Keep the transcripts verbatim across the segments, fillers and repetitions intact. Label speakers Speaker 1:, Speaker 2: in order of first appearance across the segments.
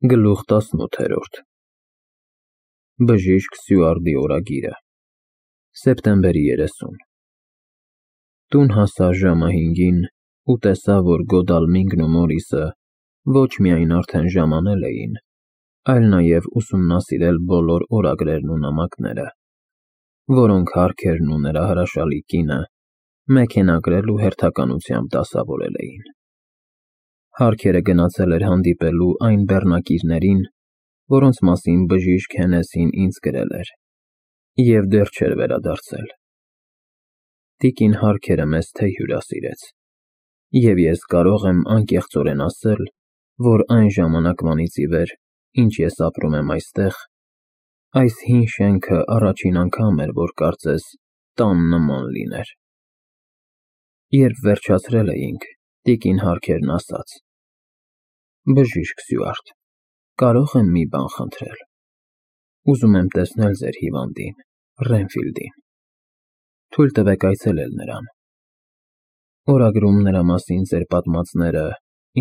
Speaker 1: Գլուխ տասնութ։ Բժիշկ Սյուարտի օրագիրը Սեպտեմբերի երեսուն Տուն հասա ժամը հինգին ու տեսա, որ Գոդալմինգն ու Մորիսը ոչ միայն արդեն ժամանել էին, այլ նաև ուսումնասիրել բոլոր օրագրերն ու նամակները, որոնք Հարքերն ու նրա հրաշալի կինը մեքենագրել ու հերթականությամբ դասավորել էին։ Հարքերը գնացել էր հանդիպելու այն բեռնակիրներին, որոնց մասին բժիշկ Հենեսին ինձ գրել էր, և դեռ չէր վերադարձել։ Տիկին Հարքերը մեզ թեյ հյուրասիրեց, և ես կարող եմ անկեղծորեն ասել, որ այն ժամանակվանից ի վեր, ինչ ես ապրում եմ այստեղ, այս հին շենքը առաջին անգամ էր, որ կարծես տան նման լիներ։ Երբ վերջացրել էինք, տիկին Հարքերն ասաց. «Բժիշկ Սյուարտ, կարո՞ղ եմ մի բան խնդրել։ Ուզում եմ տեսնել ձեր հիվանդին, Ռենֆիլդին։ Թույլ տվեք այցելել նրան։ Օրագրում նրա մասին ձեր պատմածները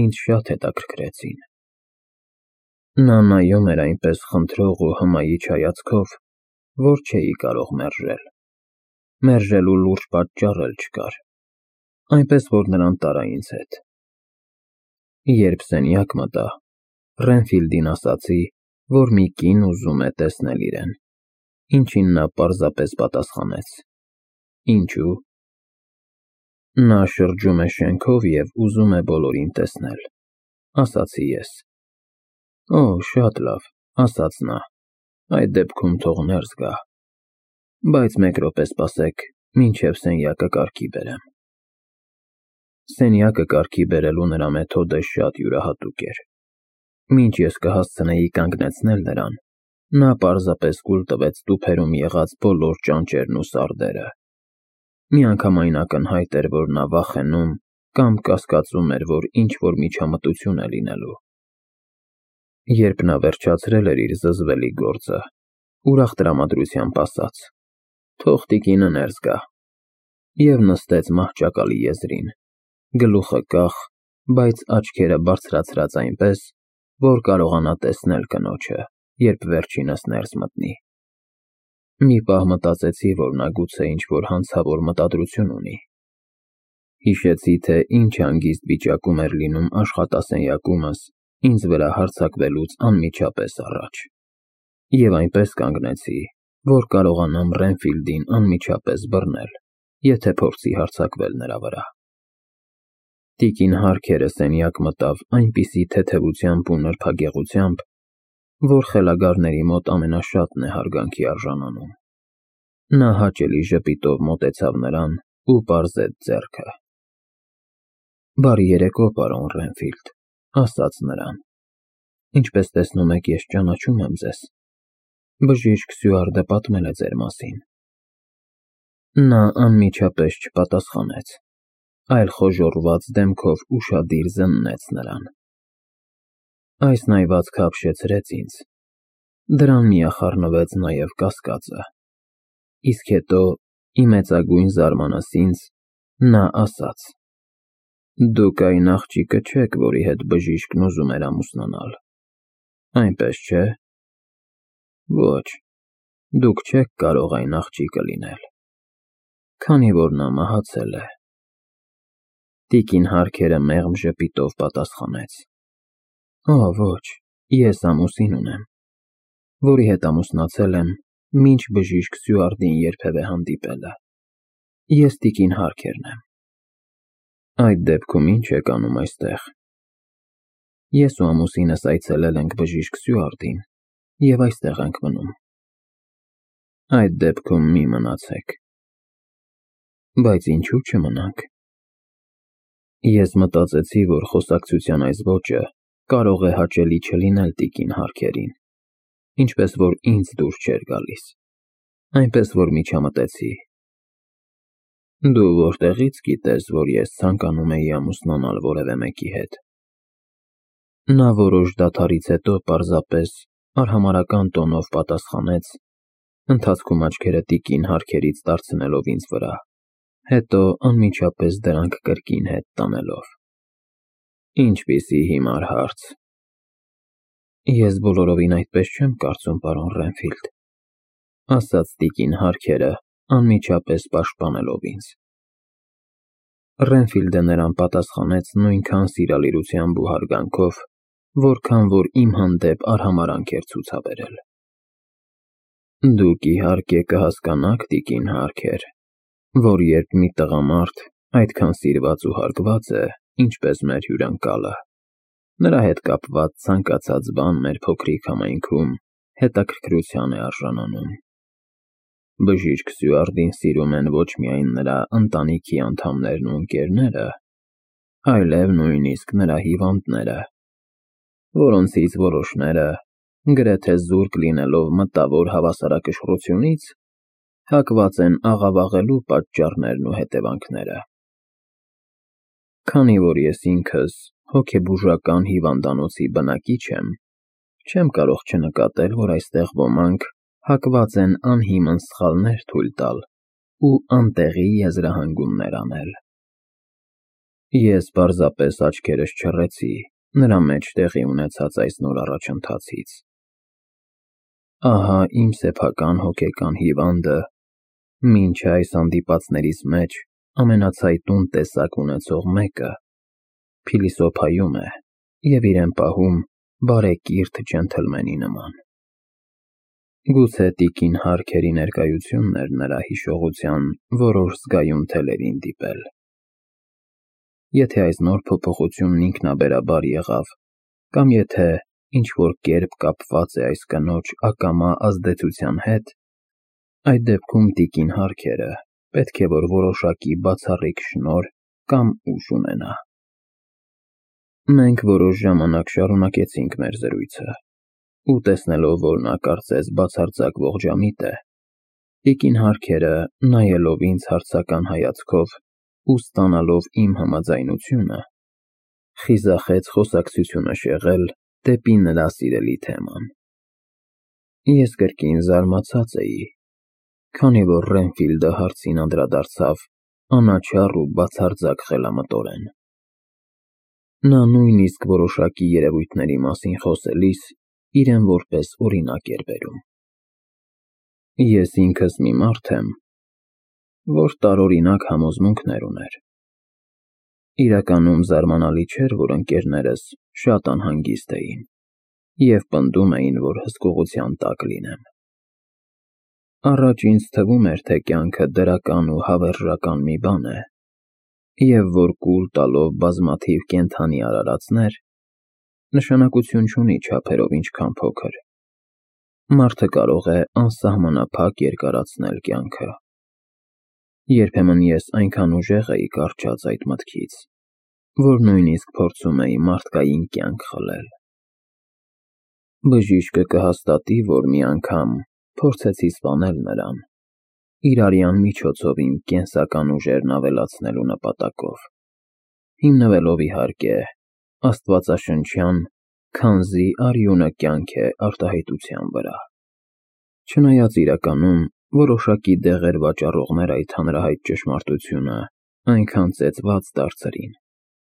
Speaker 1: ինձ շատ հետաքրքրեցին»։ Նա նայում էր այնպես խնդրող ու հմայիչ հայացքով, որ չէի կարող մերժել։ Մերժելու լուրջ պատճառ էլ չկար, այնպես որ նրան տարա ինձ հետ։ Երբ սենյակ մտա, Ռենֆիլդին ասացի, որ մի կին ուզում է տեսնել իրեն, ինչին նա պարզապես պատասխանեց. «Ինչու՞»։ Նա շրջում է շենքով և ուզում է բոլորին տեսնել, ասացի ես։ Օ, շատ լավ, ասաց նա, այդ դեպքում թող ներս գա, բայց մեկ րոպե սպասեք, մինչև սենյակը կարգի բերեմ։ Սենյակը կարգի բերելու նրա մեթոդը շատ յուրահատուկ էր։ Մինչ ես կհասցնեի կանգնեցնել նրան, նա պարզապես կուլ տվեց տուփերում եղած բոլոր ճանճերն ու սարդերը։ Միանգամայն ակնհայտ էր, որ նա վախենում կամ կասկածում էր, որ ինչ-որ միջամտություն է լինելու։ Երբ նա վերջացրել էր իր զզվելի գործը, ուրախ տրամադրությամբ ասաց. «Թող տիկինը ներս գա» և նստեց մահճակալի եզրին, գլուխը կախ, բայց աչքերը բարձրացրած այնպես, որ կարողանա տեսնել կնոջը, երբ վերջինս ներս մտնի։ Մի պահ մտածեցի, որ նա գուցե ինչ-որ հանցավոր մտադրություն ունի։ Հիշեցի, թե ինչ հանգիստ վիճակում էր լինում աշխատասենյակումս ինձ վրա հարձակվելուց անմիջապես առաջ, և այնպես կանգնեցի, որ կարողանամ Ռենֆիլդին անմիջապես բռնել, եթե փորձի հարձակվել նրա վրա։ Տիկին Հարքերը սենյակ մտավ այնպիսի թեթևությամբ ու նրբագեղությամբ, որ խելագարների մոտ ամենաշատն է հարգանքի արժանանում։ Նա հաճելի ժպիտով մոտեցավ նրան ու պարզեց ձեռքը։ «Բարի երեկո, պարոն Ռենֆիլդ», ասաց նրան։ «Ինչպես տեսնում եք, ես ճանաչում եմ ձեզ։ Բժիշկ Սյուարտը պատմել է ձեր մասին»։ Նա անմիջապես չպատասխանեց, այլ խոժոռված դեմքով ուշադիր զննեց նրան։ Այս նայվածքը ապշեցրեց ինձ, դրան միախառնվեց նաև կասկածը, իսկ հետո, ի մեծագույն զարմանս ինձ, նա ասաց. «Դուք այն աղջիկը չեք, որի հետ բժիշկն ուզում էր ամուսնանալ, այնպես չէ՞։ Ոչ, դուք չեք կարող այն աղջիկը լինել, քանի որ նա մահացել է»։ Տիկին Հարքերը մեղմ ժպիտով պատասխանեց. «Օ, ոչ, ես ամուսին ունեմ, որի հետ ամուսնացել եմ, մինչ բժիշկ Սյուարտին երբևէ հանդիպելը։ Ես տիկին Հարքերն եմ»։ «Այդ դեպքում ի՞նչ եք անում այստեղ»։ «Ես ու ամուսինս այցելել ենք բժիշկ Սյուարտին և այստեղ ենք մնում»։ «Այդ դեպքում մի մնացեք»։ «Բայց ինչու՞ չմնանք»։ Ես մտածեցի, որ խոսակցության այս ոճը կարող է հաճելի չլինել տիկին Հարքերին, ինչպես որ ինձ դուր չէր գալիս, այնպես որ միջամտեցի. «Դու որտեղի՞ց գիտես, որ ես ցանկանում էի ամուսնանալ որևէ մեկի հետ»։ Նա որոշ դադարից հետո պարզապես արհամարհական տոնով պատասխանեց, ընթացքում աչքերը տիկին Հարքերից դարձնելով ինձ վրա, հետո անմիջապես դրանք կրկին հետ տանելով. «Ինչպիսի հիմար հարց։ Ես բոլորովին այդպես չեմ կարծում, պարոն Ռենֆիլդ, ասաց տիկին Հարքերը, անմիջապես պաշտպանելով ինձ։ Ռենֆիլդը նրան պատասխանեց նույնքան սիրալիրությամբ ու հարգանքով, որքան որ իմ հանդեպ արհամարհանք էր ցուցաբերել։ Դուք իհարկե կհասկանաք, տիկին Հարքեր, որ երբ մի տղամարդ այդքան սիրված ու հարգված է, ինչպես մեր հյուրընկալը, նրա հետ կապված ցանկացած բան մեր փոքրիկ համայնքում հետաքրքրության է արժանանում։ Բժիշկ Սյուարդին սիրում են ոչ միայն նրա ընտանիքի անդամներն ու ընկերները, այլև նույնիսկ նրա հիվանդները, որոնցից որոշները, գրեթե զուրկ լինելով մտավոր հավասարակշռությունից, հակված են աղավաղելու պատճառներն ու հետևանքները։ Քանի որ ես ինքս հոգեբուժական հիվանդանոցի բնակիչ եմ, չեմ կարող չնկատել, որ այստեղ ոմանք հակված են անհիմն սխալներ թույլ տալ ու անտեղի եզրահանգումներ անել։ Ես պարզապես աչքերս չռեցի նրա մեջ տեղի ունեցած այս նոր առաջընթացից։ Ահա իմ սեփական հոգեկան հիվանդը, մինչ այս հանդիպածներից մեջ ամենացայտուն տեսակ ունեցող մեկը, փիլիսոփայում է և իրեն պահում բարեկիրթ ջենթլմենի նման։ Գուցե տիկին Հարքերի ներկայությունն էր նրա հիշողության որոշ զգայուն թելերին դիպել։ Եթե այս նոր փոփոխությունն ինքնաբերաբար եղավ, կամ եթե ինչ-որ կերպ կապված է այս կնոջ ակամա ազդեցության հետ, այդ դեպքում տիկին Հարքերը պետք է որ որոշակի բացառիկ շնորհ կամ ուժ ունենա։ Մենք որոշ ժամանակ շարունակեցինք մեր զրույցը, ու տեսնելով, որ նա կարծես բացարձակ ողջամիտ է, տիկին Հարքերը, նայելով ինձ հարցական հայացքով ու ստանալով իմ համաձայնությունը, խիզախեց խոսակցությունը շեղել դեպի նրա սիրելի թեման։ Ես կրկին զարմացած էի, քանի որ Ռենֆիլդը հարցին անդրադարձավ անաչառ ու բացարձակ խելամտորեն։ Նա նույնիսկ որոշակի երևույթների մասին խոսելիս իրեն որպես օրինակ էր բերում։ Ես ինքս մի մարդ եմ, որ տարօրինակ համոզմունքներ ուներ։ Իրականում զարմանալի չէր, որ ընկերներս շատ անհանգիստ էին և պնդում էին, որ հսկողության տակ լինեմ։ Առաջ ինձ թվում էր, թե կյանքը դրական ու հավերժական մի բան է, և որ կուլ տալով բազմաթիվ կենդանի արարածներ, նշանակություն չունի չափերով ինչքան փոքր։ Մարդը կարող է անսահմանափակ երկարացնել կյանքը։ Երբեմն ես այնքան ուժեղ էի կառչած այդ մտքից, որ նույնիսկ փորձում էի մարդկային կյանք խլել։ Բժիշկը կհաստատի, որ մի անգամ փորձեցի սպանել նրան, իր արյան միջոցով իմ կենսական ուժերն ավելացնելու նպատակով, հիմնվելով իհարկե աստվածաշնչյան «քանզի արյունը կյանք է» արտահայտության վրա։ Չնայած իրականում որոշակի դեղեր վաճառողներ այդ հանրահայտ ճշմարտությունը այնքան ծեծված դարձրին,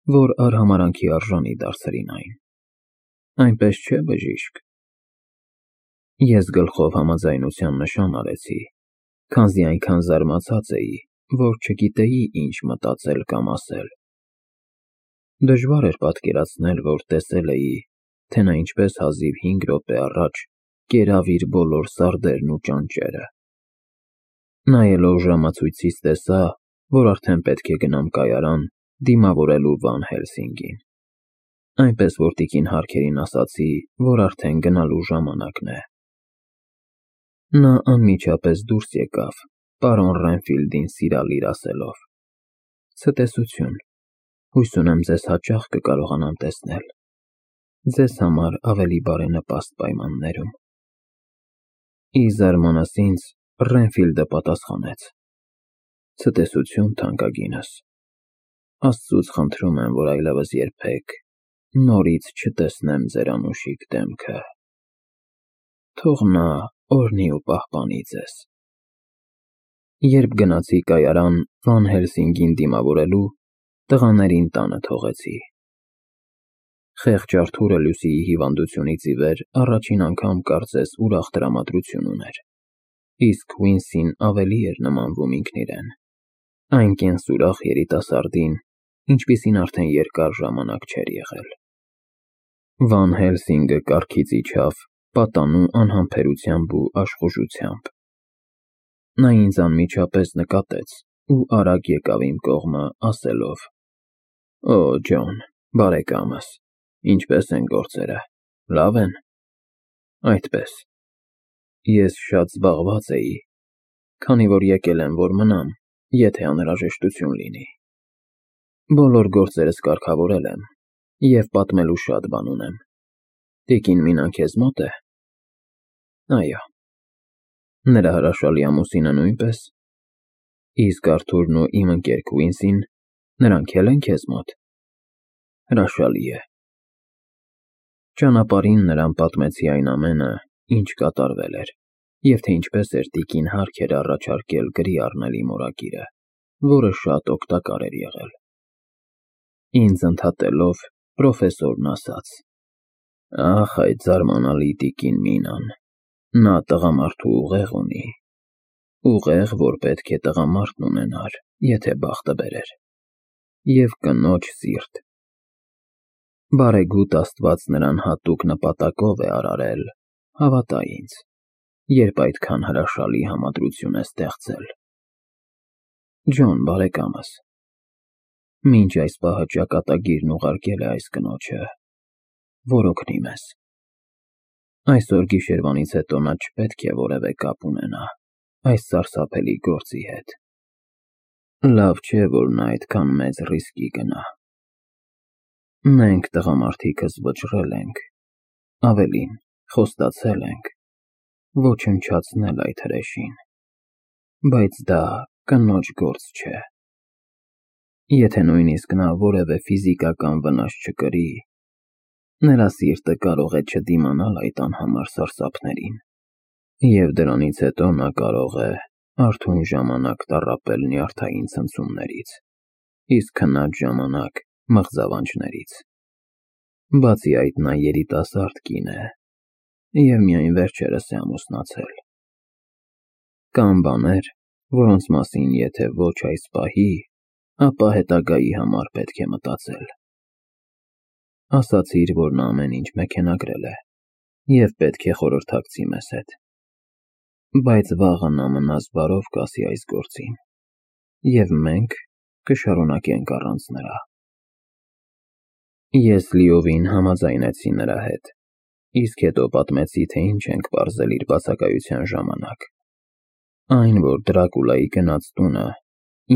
Speaker 1: որ արհամարհանքի արժանի դարձրին այն։ Այնպես չէ՞, բժիշկ։ Ես գլխով համաձայնության նշան արեցի, քանզի այնքան զարմացած էի, որ չգիտեի ինչ մտածել կամ ասել։ Դժվար էր պատկերացնել, որ տեսել էի, թե նա ինչպես հազիվ հինգ րոպե առաջ կերավ իր բոլոր սարդերն ու ճանճերը։ Նայելով ժամացույցից տեսա, որ արդեն պետք է գնամ կայարան դիմավորելու Վան Հելսինգին, այնպես որ տիկին Հարքերին ասացի, որ արդեն գնալու ժամանակն է։ Նա անմիջապես դուրս եկավ, պարոն Ռենֆիլդին սիրալիր ասելով. «Ցտեսություն, հույս ունեմ ձեզ հաճախ կկարողանամ տեսնել, ձեզ համար ավելի բարենպաստ պայմաններում»։ Ի զարմանս ինձ, Ռենֆիլդը պատասխանեց. «Ցտեսություն, թանկագինս, Աստծուց խնդրում եմ, որ այլևս երբեք նորից չտեսնեմ ձեր անուշիկ դեմքը։ Թող նա օրհնի ու պահպանի ձեզ»։ Երբ գնացի կայարան Վան Հելսինգին դիմավորելու, տղաներին տանը թողեցի։ Խեղճ Արթուրը Լուսիի հիվանդությունից ի վեր առաջին անգամ կարծես ուրախ տրամադրություն ուներ, իսկ Քվինսին ավելի էր նմանվում ինքն իրեն, այն կենսուրախ երիտասարդին, ինչպիսին արդեն երկար ժամանակ չէր եղել։ Վան Հելսինգը կառքից իջավ պատանու անհամբերությամբ ու աշխուժությամբ։ Նա ինձ անմիջապես նկատեց ու արագ եկավ իմ կողմը, ասելով. «Օ, Ջոն, բարեկամս, ինչպե՞ս են գործերը, լավ են»։ Այդպես։ Ես շատ զբաղված էի, քանի որ եկել եմ, որ մնամ, եթե անհրաժեշտություն լինի։ Բոլոր գործերս կարգավորել եմ և պատմելու շատ բան ունեմ։ Տիկին Մինան քեզ մո՞տ է։ Այո։ Նրա հրաշալի ամուսինը նույնպես։ Իսկ Արթուրն ու իմ ընկեր Քվինսին, նրանք էլ են քեզ մոտ։ Հրաշալի է։ Ճանապարհին նրան պատմեցի այն ամենը, ինչ կատարվել էր, և թե ինչպես էր տիկին հարկ էր առաջարկել գրի առնել իմ օրագիրը, որը շատ օգտակար էր եղել։ Ինձ ընդհատելով, պրոֆեսորն ասաց. «Ախ, այդ զարմանալի տիկին Մինան, նա տղամարդու ուղեղ ունի, ուղեղ, որ պետք է տղամարդն ունենար, եթե բախտը բերեր, և կնոջ սիրտ։ Բարեգութ Աստված նրան հատուկ նպատակով է արարել, հավատա ինձ, երբ այդքան հրաշալի համադրություն է ստեղծել։ Ջոն, բարեկամս, մինչ այս պահը ճակատագիրն ուղարկել է այս կնոջը, որ օգնի մեզ։ Այսօր գիշերվանից հետո նա չպետք է որևէ կապ ունենա այս սարսափելի գործի հետ։ Լավ չէ, որ նա այդքան մեծ ռիսկի գնա։ Մենք տղամարդիկս վճռել ենք, ավելին, խոստացել ենք ոչնչացնել այդ հրեշին, բայց դա կնոջ գործ չէ։ Եթե նույնիսկ նա որևէ ֆիզիկական վնաս չկրի, նրա սիրտը կարող է չդիմանալ այդ անհամար սարսափներին, և դրանից հետո նա կարող է արթուն ժամանակ տառապել նյարդային ցնցումներից, իսկ քնած ժամանակ մղձավանջներից։ Բացի այդ, նա երիտասարդ կին է և միայն վերջերս է ամուսնացել։ Կան բաներ, որոնց մասին եթե ոչ այս պահի, ապա հետագայի համար պետք է մտածել։ Ասացիր, որ նա ամեն ինչ մեքենագրել է և պետք է խորհրդակցի մեզ հետ, բայց վաղը նա մնաս բարով կասի այս գործին, և մենք կշարունակենք առանց նրա։ Ես լիովին համաձայնեցի նրա հետ, իսկ հետո պատմեցի, թե ինչ ենք պարզել իր բացակայության ժամանակ։ Այն, որ Դրակուլայի գնած տունը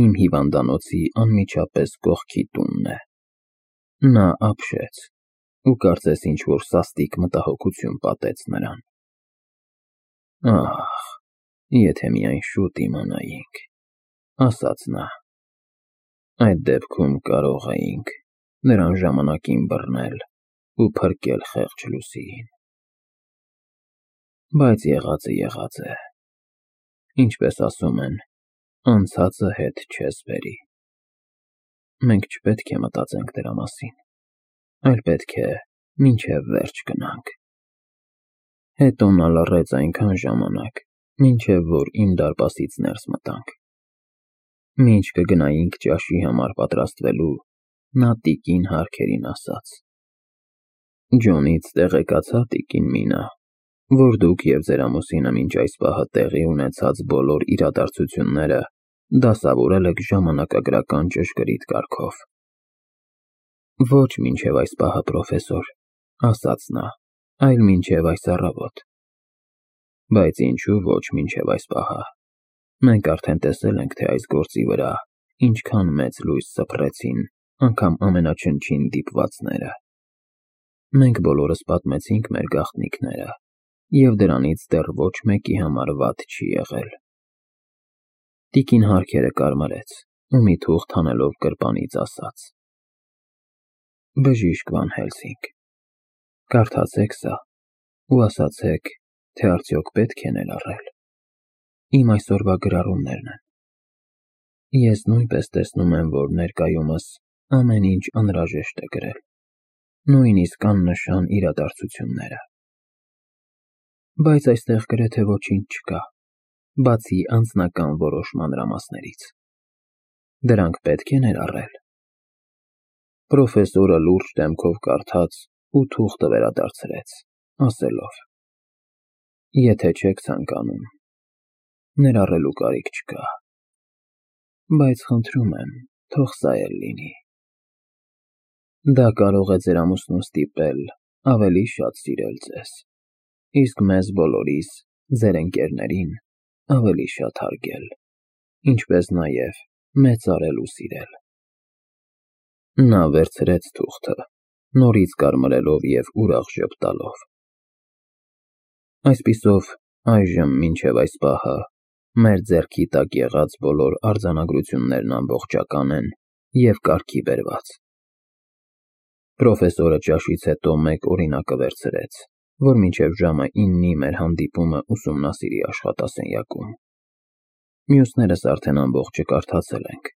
Speaker 1: իմ հիվանդանոցի անմիջապես կողքի տունն է։ Նա ապշեց ու կարծես ինչ-որ սաստիկ մտահոգություն պատեց նրան։ Ահ, եթե միայն շուտ իմանայինք, ասաց նա, այդ դեպքում կարող էինք նրան ժամանակին բռնել ու փրկել խեղճ Լուսիին։ Բայց եղածը եղած է։ Ինչպես ասում են, անցածը հետ չես բերի։ Մենք չպետք է մտածենք դրա մասին, այլ պետք է մինչև վերջ գնանք։ Հետո նա լռեց այնքան ժամանակ, մինչև որ իմ դարպասից ներս մտանք։ Մինչ կգնայինք ճաշի համար պատրաստվելու, նա տիկին Հարքերին ասաց. Ջոնից տեղեկացա տիկին Մինա, որ դուք և ձեր ամուսինը մինչ այս պահը տեղի ունեցած բոլոր իրադարձությունները դասավորել եք ժամանակագրական ճշգրիտ կարգով։ Ոչ մինչև այս պահը, պրոֆեսոր, ասաց նա, այլ մինչև այս առավոտ։ Բայց ինչու ոչ մինչև այս պահը։ Մենք արդեն տեսել ենք, թե այս գործի վրա ինչքան մեծ լույս սփռեցին անգամ ամենաչնչին դիպվածները։ Մենք բոլորս պատմեցինք մեր գաղտնիքները, և դրանից դեռ ոչ մեկի համար վատ չի եղել։ Տիկին Հարքերը կարմրեց ու մի թուղթ հանելով գրպանից ասաց. Բժիշկ Վան Հելսինգ, կարդացեք սա ու ասացեք, թե արդյոք պետք է ներառել։ Իմ այսօրվա գրառումներն են։ Ես նույնպես տեսնում եմ, որ ներկայումս ամեն ինչ անհրաժեշտ է գրել։ նույնիսկ աննշան իրադարձությունները։ Բայց այստեղ գրեթե ոչինչ չկա, բացի անձնական որոշ մանրամասներից։ Դրանք պետք է ներառել։ Պրոֆեսորը լուրջ դեմքով կարդաց ու թուղթը վերադարձրեց, ասելով. Եթե չեք ցանկանում, ներառելու կարիք չկա, բայց խնդրում եմ, թող սա էլ լինի։ Դա կարող է ձեր ամուսնուն ստիպել ավելի շատ սիրել ձեզ, իսկ մեզ բոլորիս, ձեր ընկերներին, ավելի շատ հարգել, ինչպես նաև մեծարել ու սիրել։ Նա վերցրեց թուղթը, նորից կարմրելով և ուրախ ժպտալով։ Այսպիսով, այժմ մինչև այս պահը մեր ձեռքի տակ եղած բոլոր արձանագրություններն ամբողջական են և կարգի բերված։ Պրոֆեսորը ճաշից հետո մեկ օրինակը վերցրեց, որ մինչև ժամը իննի մեր հանդիպումը ուսումնասիրի աշխատասենյակում։ Մյուսներս արդեն ամբողջը կարդացել ենք,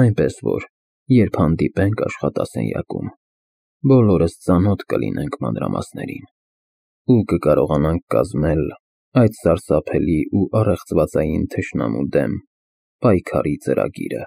Speaker 1: այնպես որ, երբ հանդիպենք աշխատասենյակում, բոլորս ծանոթ կլինենք մանրամասներին ու կկարողանանք կազմել այդ սարսափելի ու առեղծվածային թշնամու դեմ պայքարի ծրագիրը։